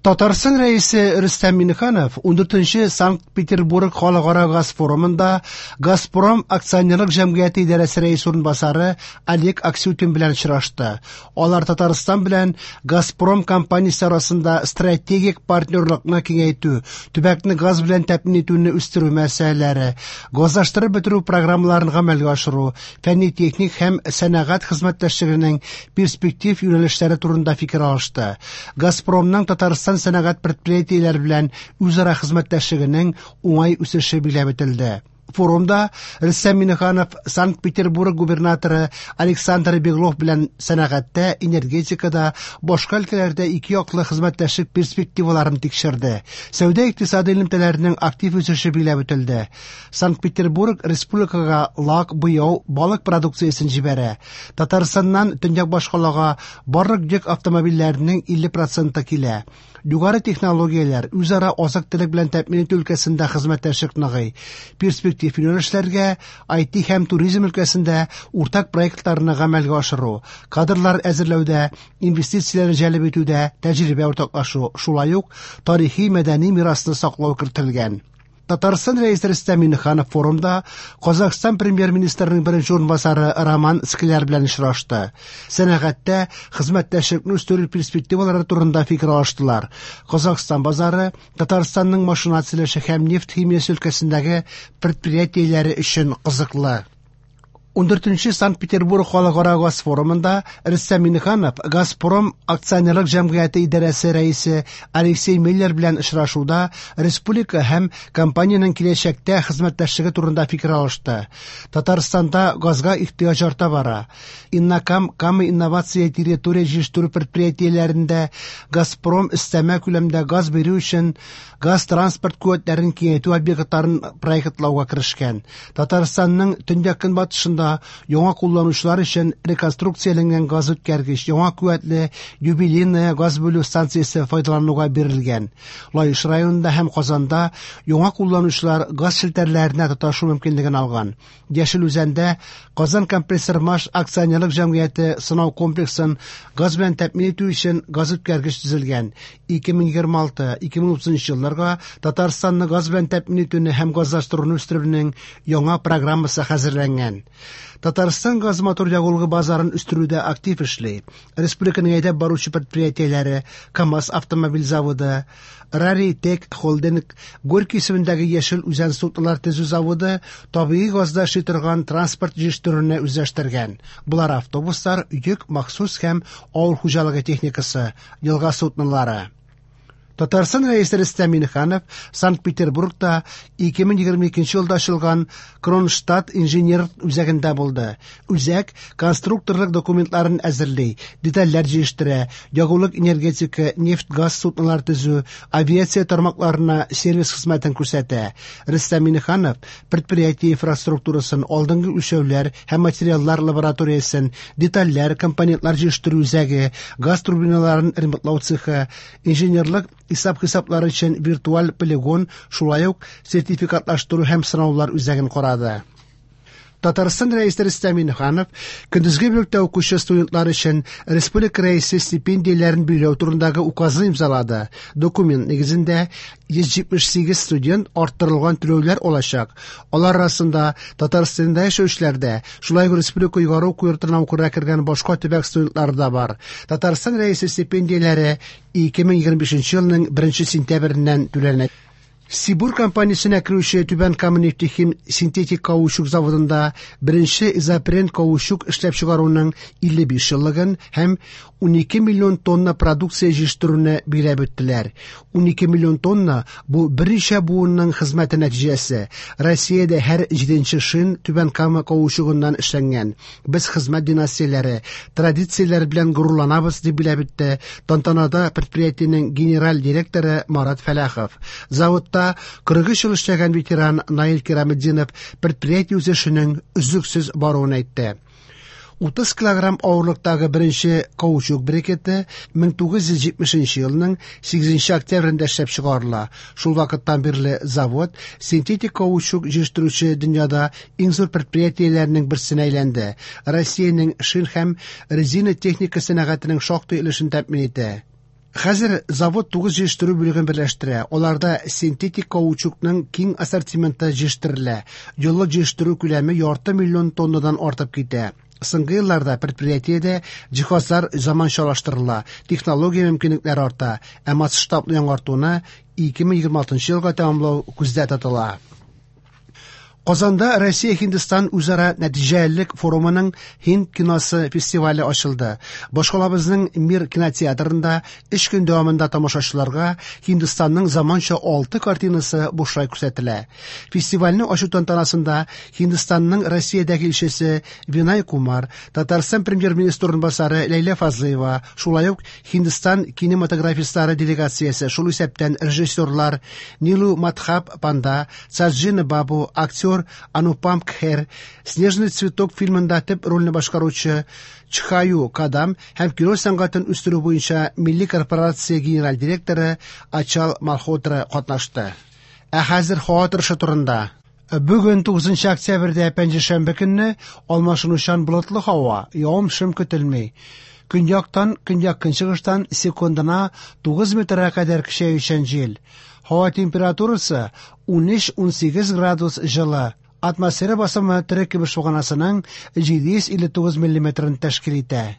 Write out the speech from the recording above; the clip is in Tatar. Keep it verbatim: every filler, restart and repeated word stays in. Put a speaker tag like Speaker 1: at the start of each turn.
Speaker 1: Татарстан Рәисе Рөстәм Миңнеханов ундүртенче Санкт-Петербург халыкара газ форумында Газпром акционерлык җәмгыяте идарәсе рәисе урынбасары Олег Аксютин белән очрашты. Алар Татарстан белән Газпром компаниясе арасында стратегик партнерлыкны киңәйтү, төбәкне газ белән тәэмин итүне үстерү мәсьәләләре, газлаштырып бетерү программаларын гамәлгә ашыру, фәнни-техник һәм сәнәгать хезмәттәшлегенең перспектив юнәлешләре турында фикер алышты. Газпромның Татарстан сәнәгать предприятиеләре белән үзара хезмәттәшлегенең уңай үсеше билгеләп үтелде. Форумда Рөстәм Миңнеханов Санкт-Петербург губернаторы Александр Беглов белән сәнәгатьтә, энергетикада, башка өлкәләрдә ике яклы хезмәттәшлек перспективаларын тикшерде. Сәүдә-икътисади элемтәләрнең актив үсеше билгеләп үтелде. Санкт-Петербург республикага лак, буяу, балык продукциясен җибәрә. Татарстаннан төньяк башкалага барлык йөк автомобильләренең илле проценты килә. Югары технологияләр үзара азык-төлек белән тәэмин итү өлкәсендә хезмәттәшлек ныгый. Перспектив юнәлешләргә ай ти һәм туризм өлкәсендә уртак проектларны гамәлгә ашыру, кадрлар әзерләүдә, инвестицияләрне җәлеп итүдә тәҗрибә уртаклашу, шулай ук тарихи мәдәни мирасны саклау кертелгән. Татарстан Рәисе Рөстәм Миңнеханов форумда Казахстан премьер-министрының беренче урынбасары Роман Скляр белән очрашты. Сәнәгатьтә хезмәттәшлекне үстерү перспективалары турында фикер алыштылар. Казахстан базары Татарстанның машина төзелеше һәм нефть химиясе өлкәсендәге предприятиеләре өчен кызыклы. Ундүртенче Санкт-Петербург халыкара газ форумында Рөстәм Миңнеханов Газпром акционерлык җәмгыяте идарәсе рәисе Алексей Миллер белән очрашуда республика һәм компаниянең киләчәктә хезмәттәшлеге турында фикер алышты. Татарстанда газга ихтыяҗ арта бара. Иннокам Кама инновация территория җитештерү предприятиеләрендә Газпром өстәмә күләмдә газ бирү өчен газ транспорт куәтләрен киңәйтү объектларын проектлауга керешкән. Татарстанның төньяк-көнбатышында яңа кулланучылар өчен реконструкцияләнгән газ үткәргеч, яңа куәтле Юбилейная газ бүлү станциясе файдалануга бирелгән. Лаеш районында һәм Казанда яңа кулланучылар газ челтәрләренә тоташу мөмкинлеген алган. Яшел Үзәндә Казан компрессор-маш акционерлык җәмгыяте сынау комплексын газ белән тәэмин итү өчен газ үткәргеч төзелгән. Ике мең егерме алты, ике мең утызынчы елларга Татарстанны газ белән тәэмин итүне һәм газлаштыруны үстерүнең яңа программасы хәзерләнгән. Татарстан газ мотор ягулыгы базарын үстерүдә актив эшли. Республиканың әйдәп баручы предприятиеләре КАМАЗ автомобиль заводы, Раритек холдинг, Горький исемендәге Яшел Үзән суднолар төзү заводы табигый газда эшли торган транспорт җитештерүне үзләштергән. Булар автобуслар, йөк, махсус һәм авыл хуҗалыгы техникасы, елга суднолары. Татарстан Рәисе Рөстәм Миңнеханов Санкт-Петербургта ике мең егерме икенче елда ачылган Кронштадт инженер үзәгендә булды. Үзәк конструкторлык документларын әзерли, детальләр җитештерә, ягулык энергетика, нефть-газ суднолар төзү, авиация тармакларына сервис хезмәтен күрсәтә. Рөстәм Миңнеханов предприятие инфраструктурасын, алдынгы үлчәүләр һәм материаллар лабораториясен, детальләр, компонентлар җитештерү үзәге, газ турбиналарын ремонтлау цехы, инженерлык исәп-хисаплары өчен виртуаль полигон, шулай ук сертификатлаштыру һәм сынаулар үзәген карады. Татарстан Рәисе Рөстәм Миңнеханов көндезге бүлектә укучы студентлар өчен республика рәисе стипендияләрен билгеләү турындагы указны имзалады. Документ нигезендә йөз җитмеш сигез студент арттырылган түләүләр алачак. Алар арасында Татарстанда яшәүчеләр дә, шулай ук республика югары уку йортына укырга кергән башка төбәк студентлары да бар. Татарстан рәисе стипендияләре ике мең егерме бишенче елның беренче сентябреннән түләнә. Сибур компаниясенә керүче Түбән Кама нефтехим синтетик каучук заводында беренче изопрен каучук эшләп чыгаруның илле биш еллыгын һәм унике миллион тонна продукция җитештерүне билгеләп үттеләр. Унике миллион тонна бу берничә буынның хезмәте нәтиҗәсе. Россиядә һәр җиденче шин Түбән Кама каучугыннан эшләнгән. Без хезмәт династияләре, традицияләр белән горурланабыз, дип билгеләп үтте тантанада предприятиенең генераль директоры Марат Фәләхов. Заводта кырык өч ел эшләгән ветеран Наил Кираметдинов предприятие үсешенең өзлексез баруын әйтте. Утыз килограмм авырлыктагы беренче каучук брикеты мең тугыз йөз җитмешенче елның сигезенче октябрендә эшләп чыгарыла. Шул вакыттан бирле завод синтетик каучук җитештерүче дөньяда иң зур предприятиеләрнең берсенә әйләнде. Россиянең шин һәм резина техника сәнәгатенең шактый өлешен тәэмин итә. Хәзер завод тугыз җитештерү бүлеген берләштерә. Аларда синтетик каучукның киң ассортименты җитештерелә. Еллык җитештерү күләме ярты миллион тоннадан артып китә. Соңгы елларда предприятиедә җиһазлар заманчалаштырыла, технология мөмкинлекләре арта, ә масштаблы яңартуны ике мең егерме алтынчы елга тәмамлау күздә тотыла. Казанда Россия-Һиндстан үзара нәтиҗәлелек форумының Һинд киносы фестивале ачылды. Башкалабызның Мир кинотеатрында өч көн дәвамында тамашачыларга Һиндстанның заманча алты картинасы бушлай күрсәтелә. Фестивальне ачу тантанасында Һиндстанның Россиядәге илчесе Винай Кумар, Татарстан премьер-министры урынбасары Ләйлә Фазлыева, шулай ук Һиндстан кинематографистлары делегациясе, шул исәптән режиссерлар Нилу Мадхаб Панда, Саджина Бабу, актер Анупам Кхер, Снежный цветок фильмында төп рольне башкаручы Чхаю Кадам һәм кино сәнгатен үстерү буенча Милли корпорация генераль директоры Ачал Малхотра катнашты. Ә хәзер һава торышы турында. Бүген тугызынчы октябрьдә пәнҗешәмбе көнне алмашынучан болытлы һава, явым-шым көтелми. Көньяктан, көньяк-көнчыгыштан секундына тугыз метрга кадәр көчәючән җил. Һава температурасы ун өч-ун сигез градус җылы. Атмосфера басымы Төрек көмеш баганасының җиде йөз илле тугыз миллиметрын тәшкил итә.